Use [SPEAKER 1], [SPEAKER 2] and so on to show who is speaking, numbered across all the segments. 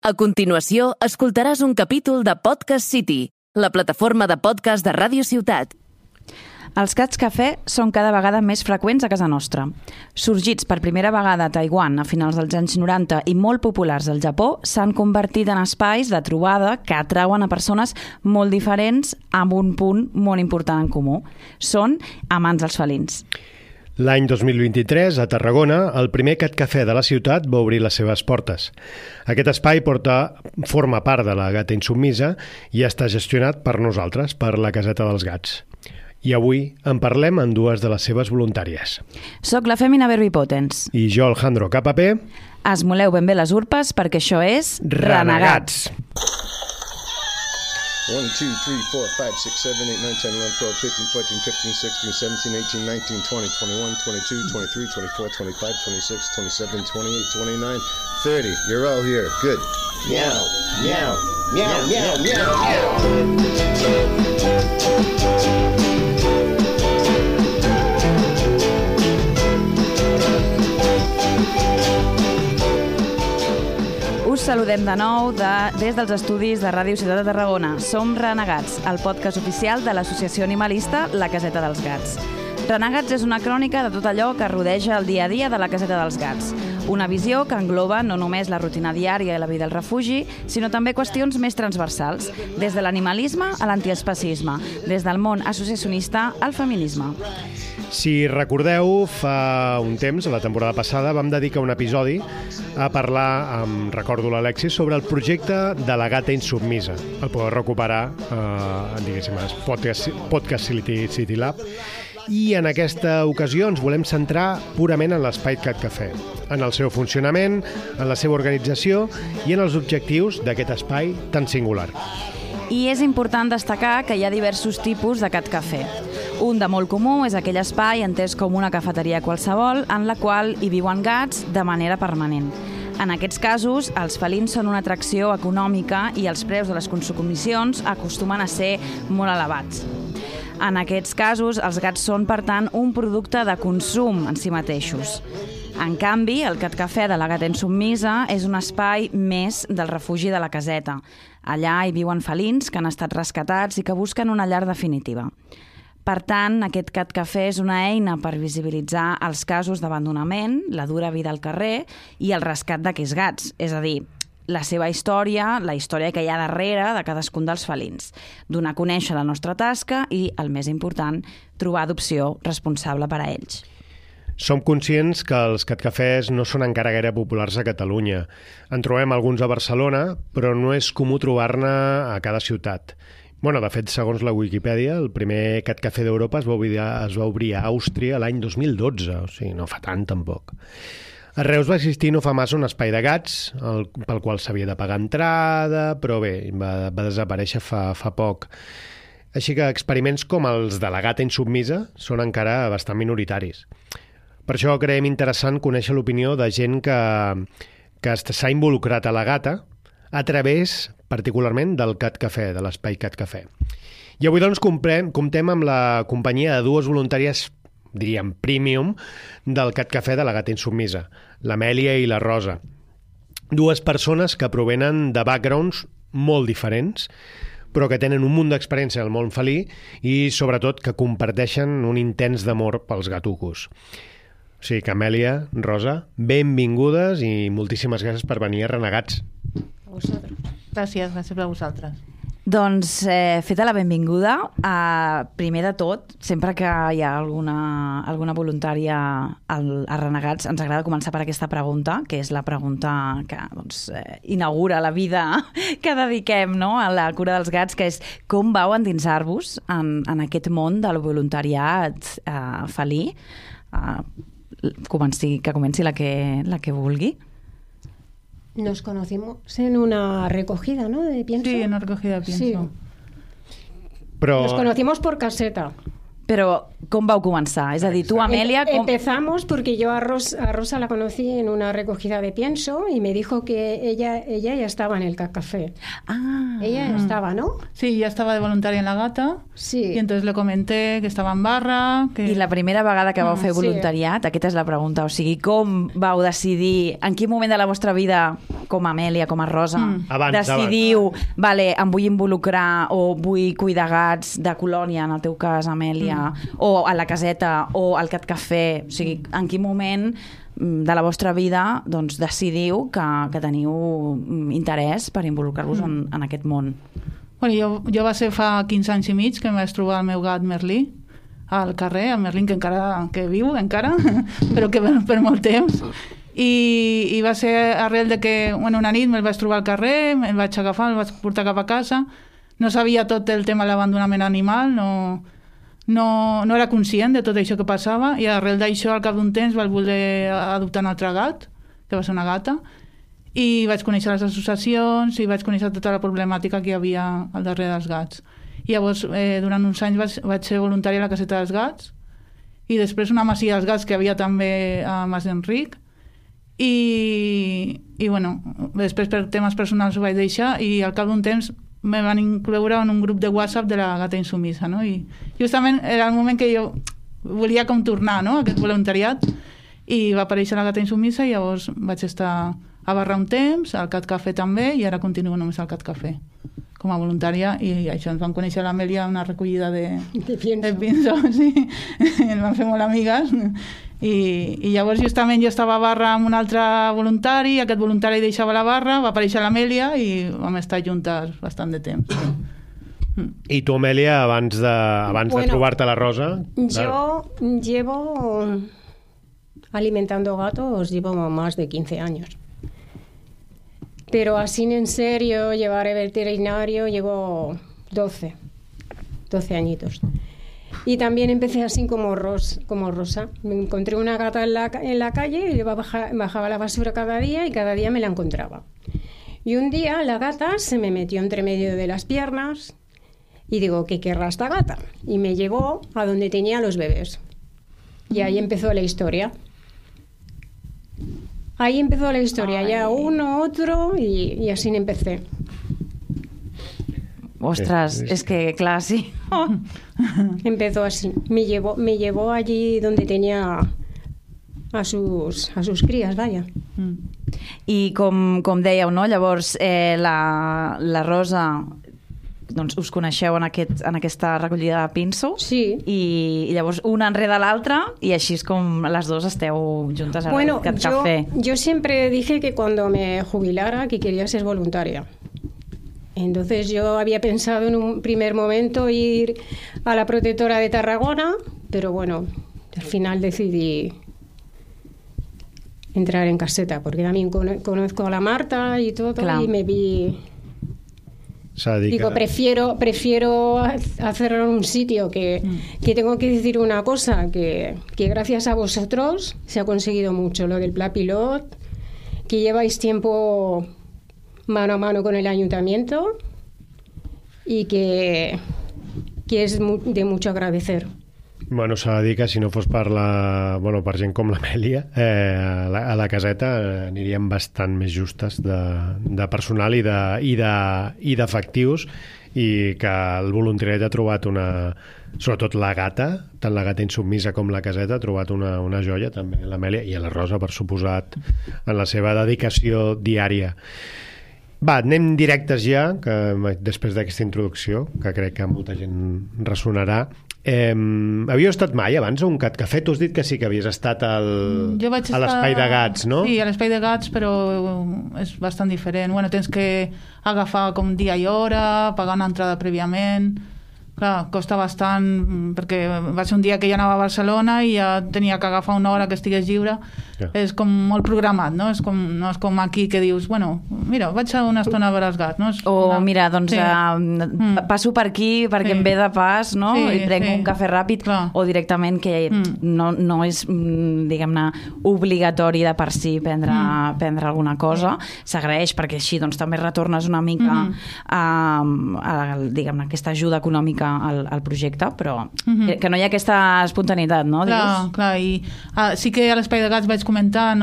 [SPEAKER 1] A continuació, escoltaràs un capítol de Podcast City, la plataforma de podcast de Ràdio Ciutat.
[SPEAKER 2] Els gats cafè són cada vegada més freqüents a casa nostra. Sorgits per primera vegada a Taiwan a finals dels anys 90 i molt populars al Japó, s'han convertit en espais de trobada que atrauen a persones molt diferents amb un punt molt important en comú. Són amants dels felins.
[SPEAKER 3] L'any 2023, a Tarragona, el primer Cat Cafè de la ciutat va obrir les seves portes. Aquest espai forma part de la Gata Insubmisa i està gestionat per nosaltres, per la Caseta dels Gats. I avui en parlem amb dues de les seves voluntàries.
[SPEAKER 2] Soc la Fèmina Verbipotens.
[SPEAKER 3] I jo, Alejandro Capapé.
[SPEAKER 2] Esmoleu ben bé les urpes perquè això és Renegats.
[SPEAKER 4] 1, 2, 3, 4, 5, 6, 7, 8, 9, 10, 11, 12, 13, 14, 15, 16, 17, 18, 19, 20, 21, 22, 23, 24, 25, 26, 27, 28, 29, 30. You're all here. Good. Meow, meow, meow, meow, meow, meow.
[SPEAKER 2] Us saludem de nou des dels estudis de Ràdio Ciutat de Tarragona. Som Renegats, el podcast oficial de l'associació animalista La Caseta dels Gats. Renegats és una crònica de tot allò que rodeja el dia a dia de la Caseta dels Gats. Una visió que engloba no només la rutina diària i la vida al refugi, sinó també qüestions més transversals, des de l'animalisme a l'antiespecisme, des del món associacionista al feminisme.
[SPEAKER 3] Si recordeu, fa un temps, a la temporada passada, vam dedicar un episodi a parlar, recordo l'Alexis, sobre el projecte de la Gata Insubmisa. El podeu recuperar, diguéssim, a Podcast City Lab. I en aquesta ocasió ens volem centrar purament en l'espai Cat Cafè, en el seu funcionament, en la seva organització i en els objectius d'aquest espai tan singular.
[SPEAKER 2] I és important destacar que hi ha diversos tipus de Cat Cafè. Un de molt comú és aquell espai entès com una cafeteria qualsevol en la qual hi viuen gats de manera permanent. En aquests casos, els felins són una atracció econòmica i els preus de les consumicions acostumen a ser molt elevats. En aquests casos, els gats són, per tant, un producte de consum en si mateixos. En canvi, el Cat Cafè de la Gata Insubmisa és un espai més del refugi de la caseta. Allà hi viuen felins que han estat rescatats i que busquen una llar definitiva. Per tant, aquest Cat Cafè és una eina per visibilitzar els casos d'abandonament, la dura vida al carrer i el rescat d'aquests gats, és a dir, la seva història, la història que hi ha darrere de cadascun dels felins, donar a conèixer la nostra tasca i, el més important, trobar adopció responsable per a ells.
[SPEAKER 3] Som conscients que els catcafès no són encara gaire populars a Catalunya. En trobem alguns a Barcelona, però no és comú trobar-ne a cada ciutat. De fet, segons la Wikipedia, el primer Cat Cafè d'Europa es va obrir a Àustria l'any 2012, o sigui, no fa tant tampoc. A Reus va existir no fa massa un espai de gats, pel qual s'havia de pagar entrada, però bé, va desaparèixer fa poc. Així que experiments com els de la Gata Insubmisa són encara bastant minoritaris. Per això creiem interessant conèixer l'opinió de gent que s'ha involucrat a la gata a través, particularment, del Cat Cafè, de l'espai Cat Cafè. I avui, doncs, comptem amb la companyia de dues voluntàries, diríem, premium, del Cat Cafè de la Gata Insubmisa, l'Amèlia i la Rosa. Dues persones que provenen de backgrounds molt diferents, però que tenen un munt d'experiència al món felí i, sobretot, que comparteixen un intens d'amor pels gatucos. O sigui que, Amèlia, Rosa, benvingudes i moltíssimes gràcies per venir a Renegats.
[SPEAKER 5] A vosaltres. Gràcies a vosaltres.
[SPEAKER 2] Doncs, feta la benvinguda, primer de tot, sempre que hi ha alguna voluntària a Renegats, ens agrada començar per aquesta pregunta, que és la pregunta que inaugura la vida que dediquem, no?, a la cura dels gats, que és com vau endinsar-vos en aquest món del voluntariat felí? Que comenci la que vulgui.
[SPEAKER 6] Nos conocimos en una recogida, ¿no?, de pienso.
[SPEAKER 5] Sí, en una recogida de pienso.
[SPEAKER 6] Sí.
[SPEAKER 3] Però...
[SPEAKER 6] Nos conocimos por caseta.
[SPEAKER 2] Però com vau començar? És a dir, tu, Amèlia...
[SPEAKER 6] Empezamos porque yo a Rosa la conocí en una recogida de pienso y me dijo que ella ya estaba en el café.
[SPEAKER 2] Ah.
[SPEAKER 6] Ella estaba, ¿no?
[SPEAKER 5] Sí, ya estaba de voluntaria en la Gata.
[SPEAKER 6] Sí.
[SPEAKER 5] Y entonces le comenté que estaba en barra... Que...
[SPEAKER 2] I la primera vegada que vau fer
[SPEAKER 6] sí.
[SPEAKER 2] voluntariat, aquesta és la pregunta, o sigui, com vau decidir, en quin moment de la vostra vida, com a Amèlia, com a Rosa, decidiu, vale, em vull involucrar o vull cuidar gats de colònia, en el teu cas, Amèlia, o a la caseta, o al Cat Café, o sigui, en quin moment de la vostra vida doncs, decidiu que teniu interès per involucrar-vos en aquest món?
[SPEAKER 5] Bueno, jo va ser fa 15 anys i mig que em vaig trobar el meu gat Merlí al carrer, el Merlín que viu encara, però que per molt temps. I va ser arrel de que una nit me'l vaig trobar al carrer, me'l vaig agafar, me'l vaig portar cap a casa. No sabia tot el tema de l'abandonament animal, no era conscient de tot això que passava, i arrel d'això, al cap d'un temps, vaig voler adoptar un altre gat, que va ser una gata, i vaig conèixer les associacions i vaig conèixer tota la problemàtica que hi havia al darrere dels gats. I llavors, durant uns anys vaig ser voluntària a la caseta dels gats, i després una masia dels gats que havia també a Mas d'Enric, i bueno, després per temes personals ho vaig deixar, i al cap d'un temps me van incloure en un grup de WhatsApp de la Gata Insumissa, no? I justament era el moment que jo volia com tornar, no?, a aquest voluntariat, i va aparèixer la Gata Insumissa, i llavors vaig estar a Barra un temps, al Cat Café també, i ara continuo només al Cat Café com a voluntària, i això, ens vam conèixer l'Amèlia una recollida de pinso, sí, ens vam fer molt amigues, i llavors justament jo estava a Barra amb un altre voluntari, aquest voluntari deixava la Barra, va aparèixer l'Amèlia i vam estar juntes bastant de temps.
[SPEAKER 3] I tu, Amèlia, abans de trobar-te la Rosa...
[SPEAKER 6] Yo llevo alimentando gatos, llevo más de 15 años. Pero así en serio, llevar al veterinario, llevo 12 añitos. Y también empecé así como Rosa. Me encontré una gata en la calle y bajaba la basura cada día y cada día me la encontraba. Y un día la gata se me metió entre medio de las piernas y digo, ¿qué querrá esta gata? Y me llevó a donde tenía los bebés. Y ahí empezó la historia. Ya uno, otro, y así empecé.
[SPEAKER 2] Ostras, es que, claro, sí.
[SPEAKER 6] Empezó así. Me llevó allí donde tenía a sus crías, vaya.
[SPEAKER 2] I com dèieu, no? Llavors, la Rosa, doncs us coneixeu en aquesta recollida de pinso,
[SPEAKER 6] sí.
[SPEAKER 2] I llavors una enrere l'altra, i així és com les dues esteu juntes al Cat Café.
[SPEAKER 6] Yo siempre dije que cuando me jubilara que quería ser voluntaria. Entonces yo había pensado en un primer momento ir a la protectora de Tarragona, pero bueno, al final decidí entrar en caseta, porque también conozco a la Marta y todo, claro. Y me vi... Digo, prefiero hacerlo en un sitio que tengo que decir una cosa, que gracias a vosotros se ha conseguido mucho, lo del Pla Pilot, que lleváis tiempo mano a mano con el ayuntamiento y que es de mucho agradecer.
[SPEAKER 3] Bueno, s'ha de dir que si no fos per gent com l'Amèlia, a la caseta aniríem bastant més justes de personal i d'efectius, i que el voluntariat ha trobat sobretot la gata, tant la Gata Insubmissa com la caseta, ha trobat una joia també, l'Amèlia, i a la Rosa, per suposat, en la seva dedicació diària. Va, anem directes ja, que després d'aquesta introducció, que crec que molta gent ressonarà. Havíeu estat mai abans a un Cat Café? Tu has dit que sí, que havies estat a l'Espai de Gats, no?
[SPEAKER 5] Sí, a l'Espai de Gats, però és bastant diferent. Bueno, tens que agafar com dia i hora, pagar una entrada prèviament. Clar, costa bastant, perquè va ser un dia que ja anava a Barcelona i ja tenia que agafar una hora que estigués lliure. Ja. És com molt programat, no? No és com aquí que dius, bueno, mira, vaig a una estona a veure els gats, no?
[SPEAKER 2] Mira, doncs passo per aquí perquè em ve de pas, no? I prenc un cafè ràpid, clar. O directament que no és, diguem-ne, obligatori de per si prendre alguna cosa. S'agraeix perquè així doncs també retornes una mica a diguem-ne, aquesta ajuda econòmica mica el projecte, però que no hi ha aquesta espontaneïtat, no?
[SPEAKER 5] Clar, i sí que a l'Espai de Gats vaig comentar,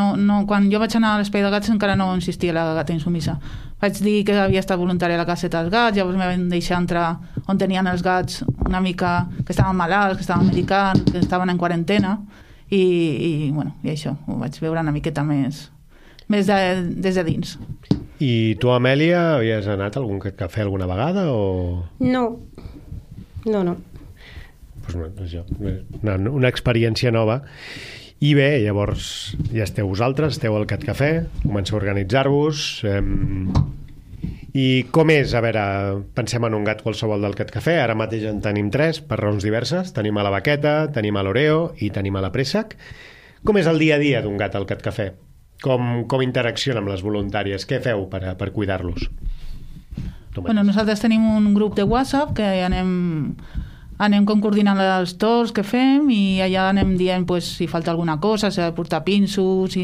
[SPEAKER 5] quan jo vaig anar a l'Espai de Gats encara no existia la gata insumissa. Vaig dir que havia estat voluntària a la caseta dels gats, llavors me van deixar entrar on tenien els gats una mica que estaven malalts, que estaven medicant, que estaven en quarantena, i això, ho vaig veure una miqueta més des de dins.
[SPEAKER 3] I tu, Amèlia, havies anat a algun cafè alguna vegada o...?
[SPEAKER 6] No.
[SPEAKER 3] Pues una experiència nova. I bé, llavors ja esteu vosaltres, esteu al Cat Cafè, comenceu a organitzar-vos. I com és? A veure, pensem en un gat qualsevol del Cat Cafè, ara mateix en tenim 3 per raons diverses. Tenim a la Baqueta, tenim a l'Oreo i tenim a la Préssec. Com és el dia a dia d'un gat al Cat Cafè? Com interacciona amb les voluntàries? Què feu per cuidar-los?
[SPEAKER 5] Nosaltres tenim un grup de WhatsApp que anem coordinant els torns que fem i allà anem dient si falta alguna cosa, si ha de portar pinsos,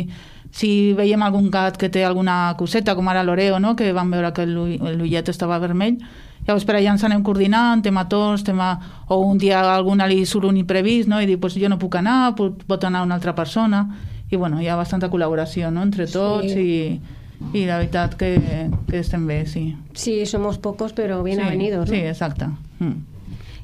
[SPEAKER 5] si veiem algun gat que té alguna coseta, com ara l'Oreo, no? Que vam veure que l'ullet estava vermell. Llavors per allà ens anem coordinant, tema torns, o un dia a alguna li surt un imprevist, no? I diu, jo no puc anar, pot anar una altra persona. I hi ha bastanta col·laboració, no? Entre tots, sí. I la veritat que estem bé, sí.
[SPEAKER 6] Sí, somos pocos, pero bien avenidos, ¿no?
[SPEAKER 5] Sí, exacte.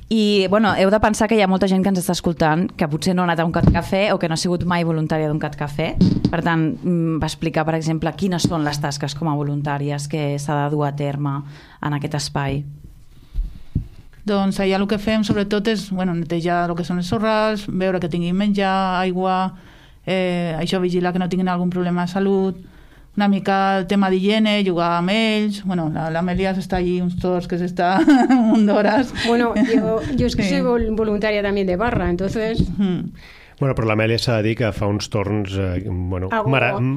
[SPEAKER 2] I, heu de pensar que hi ha molta gent que ens està escoltant que potser no ha anat a un Cat Cafè o que no ha sigut mai voluntària d'un Cat Cafè. Per tant, va explicar, per exemple, quines són les tasques com a voluntàries que s'ha de dur a terme en aquest espai.
[SPEAKER 5] Doncs allà el que fem sobretot és netejar el que són els sorrals, veure que tinguin menjar, aigua, això, vigilar que no tinguin algun problema de salut, una mica el tema d'higiene, jugar amb ells. L'Amèlia està allí uns torns que s'està un d'hores.
[SPEAKER 6] Yo es que soy voluntaria también de barra, entonces...
[SPEAKER 3] Pero l'Amèlia s'ha de dir que fa uns torns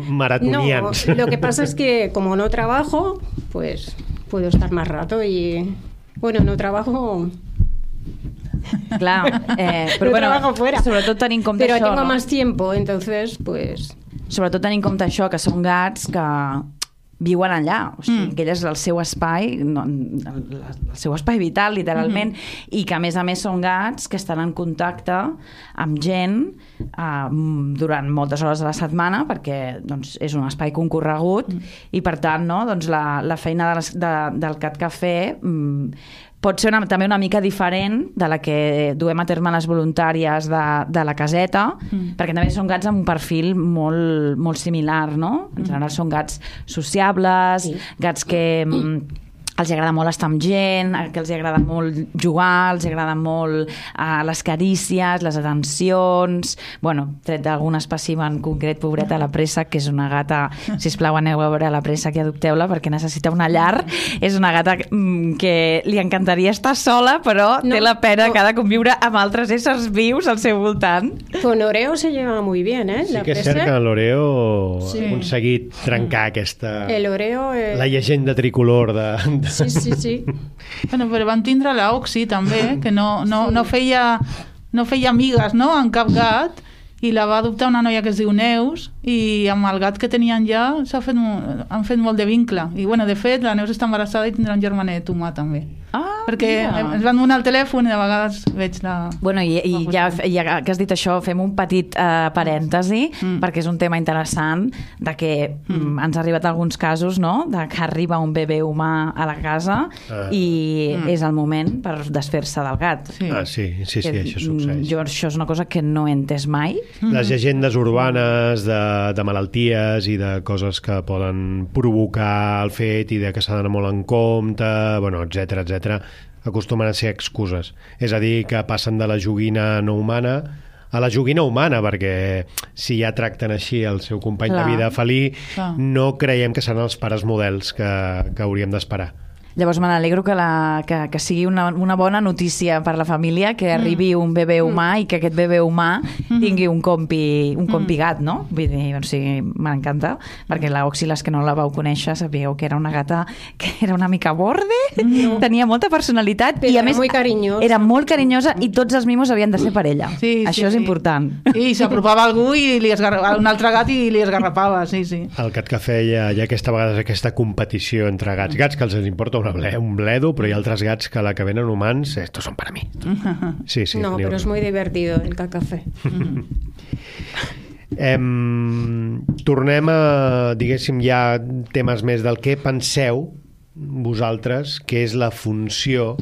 [SPEAKER 3] maratonians.
[SPEAKER 6] No, lo que pasa es que como no trabajo, pues puedo estar más rato y... no trabajo...
[SPEAKER 2] Clar,
[SPEAKER 6] però trabajo fuera.
[SPEAKER 2] Sobretot tenint en compte
[SPEAKER 6] però
[SPEAKER 2] això,
[SPEAKER 6] tengo más tiempo, entonces, pues...
[SPEAKER 2] Sobretot tenint en compte això, que són gats que viuen allà, o sigui, que ell és el seu espai, el seu espai vital, literalment, i que a més són gats que estan en contacte amb gent durant moltes hores de la setmana, perquè és un espai concorregut, i per tant, la feina del Cat Cafè pot ser també una mica diferent de la que duem a terme les voluntàries de la caseta, perquè també són gats amb un perfil molt, molt similar, no? En general són gats sociables, gats que els agrada molt estar amb gent, que els agrada molt jugar, els agrada molt les carícies, les atencions... Tret d'algun espècimen concret, pobreta, la Préssec, que és una gata... Sisplau, aneu a veure la Préssec i adopteu-la perquè necessita una llar. És una gata que li encantaria estar sola, però té la pena que ha de conviure amb altres éssers vius al seu voltant.
[SPEAKER 6] Con Oreo se lleva muy bien, ¿eh?
[SPEAKER 3] Sí que és cert que l'Oreo ha aconseguit trencar aquesta... La llegenda tricolor de...
[SPEAKER 6] Sí.
[SPEAKER 5] Però vam tindre l'Oxy també, que no feia amigues, no?, en cap gat, i la va adoptar una noia que es diu Neus, i amb el gat que tenien ja han fet molt de vincle. I, de fet, la Neus està embarassada i tindrà un germanet humà també. Perquè ens van donar el telèfon i de vegades veig la...
[SPEAKER 2] I ja que has dit això, fem un petit parèntesi, perquè és un tema interessant de que ens ha arribat alguns casos, no?, de que arriba un bebè humà a la casa i és el moment per desfer-se del gat.
[SPEAKER 3] Sí, això succeeix.
[SPEAKER 2] Això és una cosa que no he entès mai.
[SPEAKER 3] Les llegendes urbanes de malalties i de coses que poden provocar el fet i de que s'ha d'anar molt en compte, etcètera, acostumen a ser excuses. És a dir, que passen de la joguina no humana a la joguina humana, perquè si ja tracten així el seu company de vida felí, no creiem que seran els pares models que hauríem d'esperar.
[SPEAKER 2] Llavors me n'alegro que sigui una bona notícia per la família, que arribi un bebè humà i que aquest bebè humà tingui un compi gat, no? Vull dir, m'encanta, perquè la Oxy, les que no la vau conèixer, sabíeu que era una gata que era una mica borde, tenia molta personalitat i a més era molt carinyosa i tots els mimos havien de ser per ella. Això és important.
[SPEAKER 5] Sí, s'apropava algú i un altre gat i li esgarrapava, sí.
[SPEAKER 3] Al Cat Cafè hi ha aquesta competició entre gats que els importa un bledo, però hi ha altres gats que a la que venen humans, estos son para mí. Sí,
[SPEAKER 6] no, però és muy divertido el cafè.
[SPEAKER 3] Tornem a, diguéssim, ja temes més del que penseu vosaltres que és la funció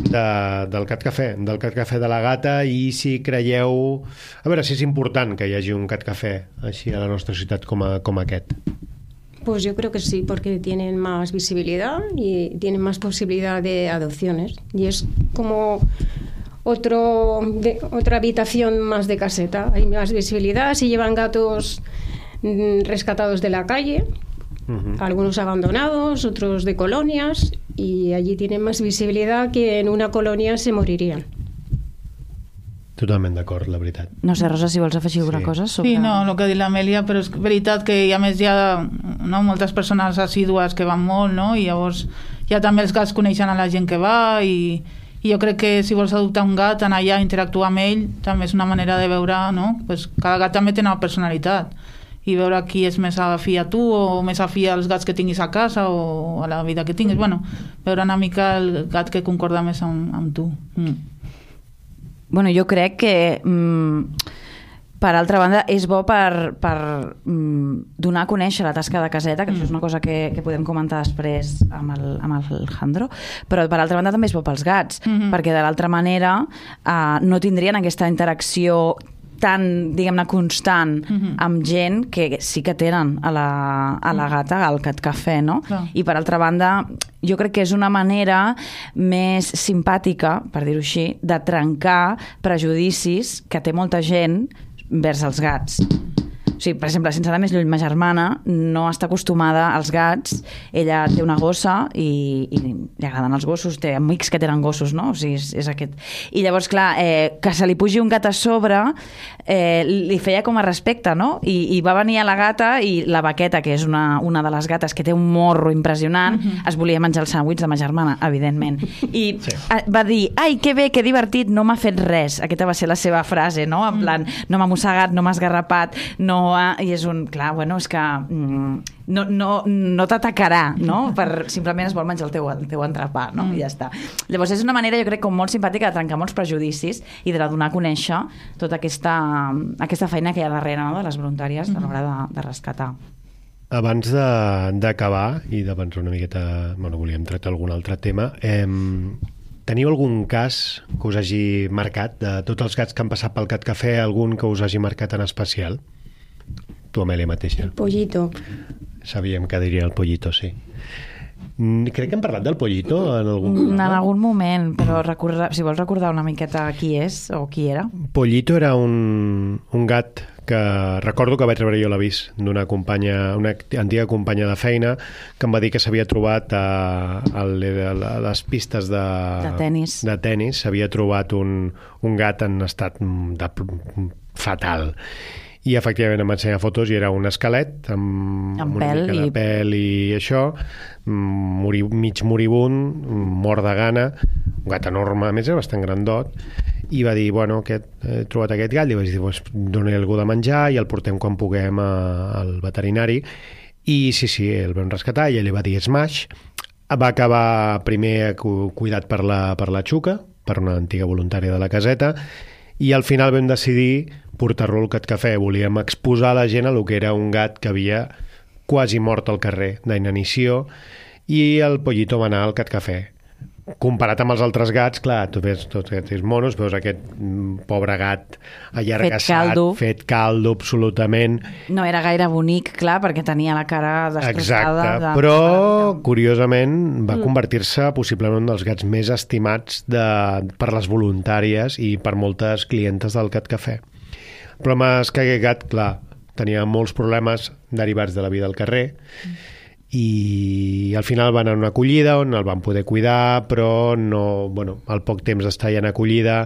[SPEAKER 3] del cat cafè de la gata, i si creieu, a veure si és important que hi hagi un cat cafè així a la nostra ciutat com aquest.
[SPEAKER 6] Pues yo creo que sí, porque tienen más visibilidad y tienen más posibilidad de adopciones. Y es como otra habitación más de caseta. Hay más visibilidad. Si llevan gatos rescatados de la calle, algunos abandonados, otros de colonias, y allí tienen más visibilidad que en una colonia se morirían.
[SPEAKER 3] Totalment d'acord, la veritat.
[SPEAKER 2] No sé, Rosa, si vols afegir alguna cosa sobre...
[SPEAKER 5] Sí, no, el que ha dit l'Amèlia, però és veritat que a més hi ha moltes persones assídues que van molt, no? I llavors ja també els gats coneixen a la gent que va, i jo crec que si vols adoptar un gat, anar allà a interactuar amb ell també és una manera de veure, no? Pues cada gat també té una personalitat, i veure qui és més afí a tu o més afí als gats que tinguis a casa o a la vida que tinguis. Bueno, veure una mica el gat que concorda més amb tu.
[SPEAKER 2] Bueno, jo crec que per altra banda és bo per donar a conèixer la tasca de caseta, que això és una cosa que podem comentar després amb el Jandro, però per altra banda també és bo pels gats, perquè de l'altra manera no tindrien aquesta interacció tan, diguem-ne, constant amb gent que sí que tenen a la gata, al cat cafè, no?
[SPEAKER 5] Clar.
[SPEAKER 2] I per altra banda, jo crec que és una manera més simpàtica, per dir-ho així, de trencar prejudicis que té molta gent vers els gats. O sigui, per exemple, sense anar més lluny, ma germana no està acostumada als gats. Ella té una gossa i li agraden els gossos, té amics que tenen gossos, no? O sigui, és aquest. I llavors, clar, que se li pugi un gat a sobre li feia com a respecte, no? I va venir a la gata i la Vaqueta, que és una de les gates que té un morro impressionant, es volia menjar el sàndwich de ma germana, evidentment. I va dir, ai, que bé, que divertit, no m'ha fet res. Aquesta va ser la seva frase, no? En plan, no m'ha mossegat, no m'ha esgarrapat, no... I és un... Clar, bueno, és que no t'atacarà, no? Simplement es vol menjar el teu entrepà, no? I ja està. Llavors és una manera, jo crec, com molt simpàtica de trencar molts prejudicis i de donar a conèixer tota aquesta feina que hi ha darrere, no? De les voluntàries a l'hora de rescatar.
[SPEAKER 3] Abans d'acabar i d'avançar una miqueta... Bueno, volíem tractar algun altre tema. Teniu algun cas que us hagi marcat? De tots els gats que han passat pel Cat Cafè, algun que us hagi marcat en especial? Tu, Amèlia, mateixa.
[SPEAKER 6] El Pollito.
[SPEAKER 3] Sabíem que diria el Pollito, sí. Crec que hem parlat del Pollito en algun programa.
[SPEAKER 2] En algun moment, però si vols recordar una miqueta qui és o qui era.
[SPEAKER 3] Pollito era un gat que recordo que vaig rebre jo l'avís d'una companya, una antiga companya de feina, que em va dir que s'havia trobat a les pistes de tenis, s'havia trobat un gat en estat fatal. I efectivament em va ensenyar fotos i era un esquelet amb una mica de pèl i això, mig moribund, mort de gana, un gat enorme, a més era bastant grandot, i va dir, bueno, he trobat aquest gat, i vaig dir, pues, doni-li algú de menjar i el portem quan puguem al veterinari. I sí, el vam rescatar, i ell li va dir Smash. Va acabar primer cuidat per la Xuca, per una antiga voluntària de la caseta, i al final vam decidir portar-lo al Cat Cafè. Volíem exposar a la gent el que era un gat que havia quasi mort al carrer d'inanició, i el Pollito va anar al Cat Cafè. Comparat amb els altres gats, clar, tu ves tots aquests monos, veus aquest pobre gat allargassat, fet caldo absolutament.
[SPEAKER 2] No era gaire bonic, clar, perquè tenia la cara destrossada.
[SPEAKER 3] Exacte, però curiosament va convertir-se possiblement en un dels gats més estimats per les voluntàries i per moltes clientes del Cat Cafè. El problema és que aquest gat, clar, tenia molts problemes derivats de la vida al carrer, i al final van anar a una acollida on el van poder cuidar, però al poc temps d'estar ja en acollida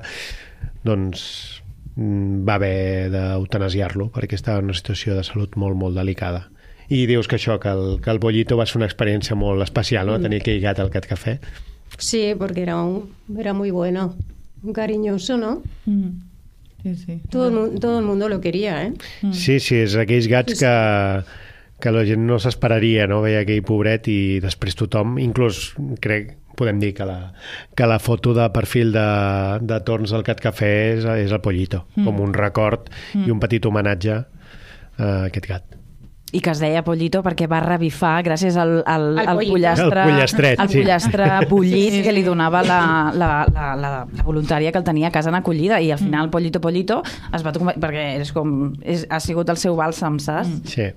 [SPEAKER 3] doncs va haver d'eutanasiar-lo perquè estava en una situació de salut molt, molt delicada. I dius que això, que el Pollito va ser una experiència molt especial, ¿no? Tenir aquell gat al Cat Cafè.
[SPEAKER 6] Sí, porque era muy bueno, un cariñoso, ¿no?
[SPEAKER 5] Sí.
[SPEAKER 6] Todo el mundo lo quería, ¿eh?
[SPEAKER 3] Sí, és aquells gats que que la gent no s'esperaria, no? Veia aquell pobret i després tothom, inclús crec, podem dir que la foto de perfil de Torns del Cat Cafè és el Pollito, com un record i un petit homenatge a aquest gat.
[SPEAKER 2] I que es deia Pollito perquè va revifar gràcies al pollastre bullit que li donava la voluntària que el tenia a casa en acollida, i al final Pollito es va tocar, perquè ha sigut el seu bàlsam, saps?
[SPEAKER 3] Sí.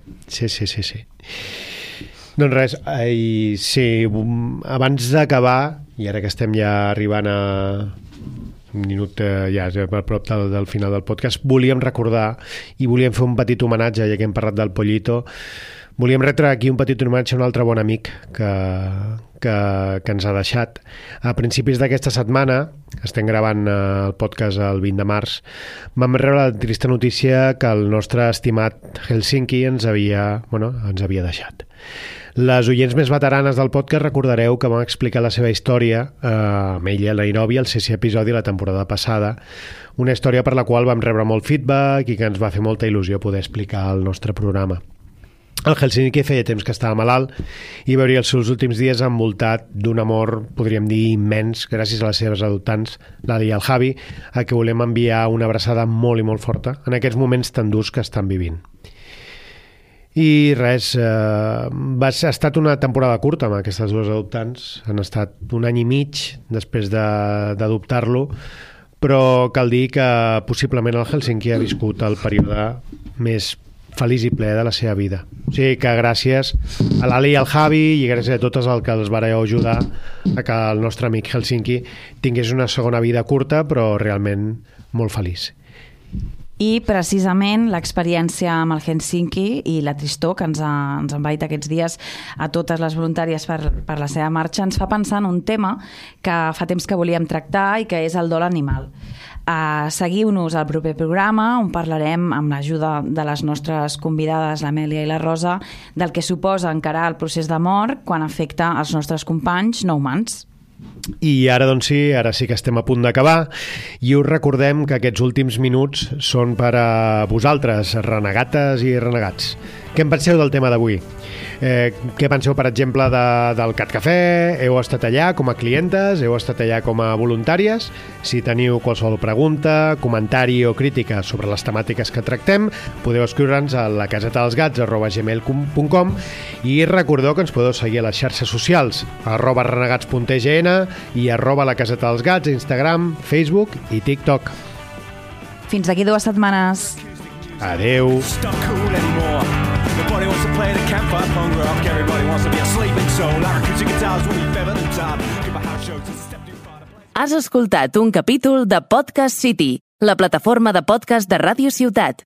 [SPEAKER 3] Doncs res, abans d'acabar, i ara que estem ja arribant a un minut ja a prop del final del podcast, volíem recordar i volíem fer un petit homenatge, ja que hem parlat del Pollito, volíem retre aquí un petit homenatge a un altre bon amic que ens ha deixat. A principis d'aquesta setmana, estem gravant el podcast el 20 de març, vam rebre la trista notícia que el nostre estimat Helsinki ens havia deixat. Les oients més veteranes del podcast recordareu que vam explicar la seva història amb ella, la Inovi, al 6è episodi la temporada passada, una història per la qual vam rebre molt feedback i que ens va fer molta il·lusió poder explicar al nostre programa. El Helsinki feia temps que estava malalt i veuria els seus últims dies envoltat d'un amor, podríem dir, immens, gràcies a les seves adoptants, l'Ali i el Javi, a qui volem enviar una abraçada molt i molt forta en aquests moments tan durs que estan vivint. I res, ha estat una temporada curta amb aquestes dues adoptants, han estat 1 any i mig després d'adoptar-lo, però cal dir que possiblement el Helsinki ha viscut el període més feliç i ple de la seva vida. O sigui que gràcies a l'Ali i al Javi i gràcies a totes els que els vareu ajudar a que el nostre amic Helsinki tingués una segona vida curta però realment molt feliç.
[SPEAKER 2] I precisament l'experiència amb el Helsinki i la tristor que ens ha envaït aquests dies a totes les voluntàries per la seva marxa ens fa pensar en un tema que fa temps que volíem tractar i que és el dol animal. Seguiu-nos al proper programa on parlarem amb l'ajuda de les nostres convidades, l'Amèlia i la Rosa, del que suposa encarar el procés de mort quan afecta els nostres companys no humans.
[SPEAKER 3] I ara doncs sí, ara sí que estem a punt d'acabar i us recordem que aquests últims minuts són per a vosaltres, renegates i renegats. Què en penseu del tema d'avui? Què penseu, per exemple, del Cat Cafè? Heu estat allà com a clientes? Heu estat allà com a voluntàries? Si teniu qualsevol pregunta, comentari o crítica sobre les temàtiques que tractem, podeu escriure'ns a lacasetadelsgats@gmail.com i recordeu que ens podeu seguir a les xarxes socials @renegats.tgn i @lacasetadelsgats a Instagram, Facebook i TikTok.
[SPEAKER 2] Fins d'aquí 2 setmanes.
[SPEAKER 3] Adeu.
[SPEAKER 7] Everybody wants to play the campfire punk rock. Everybody wants to be a sleeping soul. Like acoustic guitars when we feather the top. Give a house show to step too far to play.
[SPEAKER 1] Has escoltat un capítol de Podcast City, la plataforma de podcast de Ràdio Ciutat.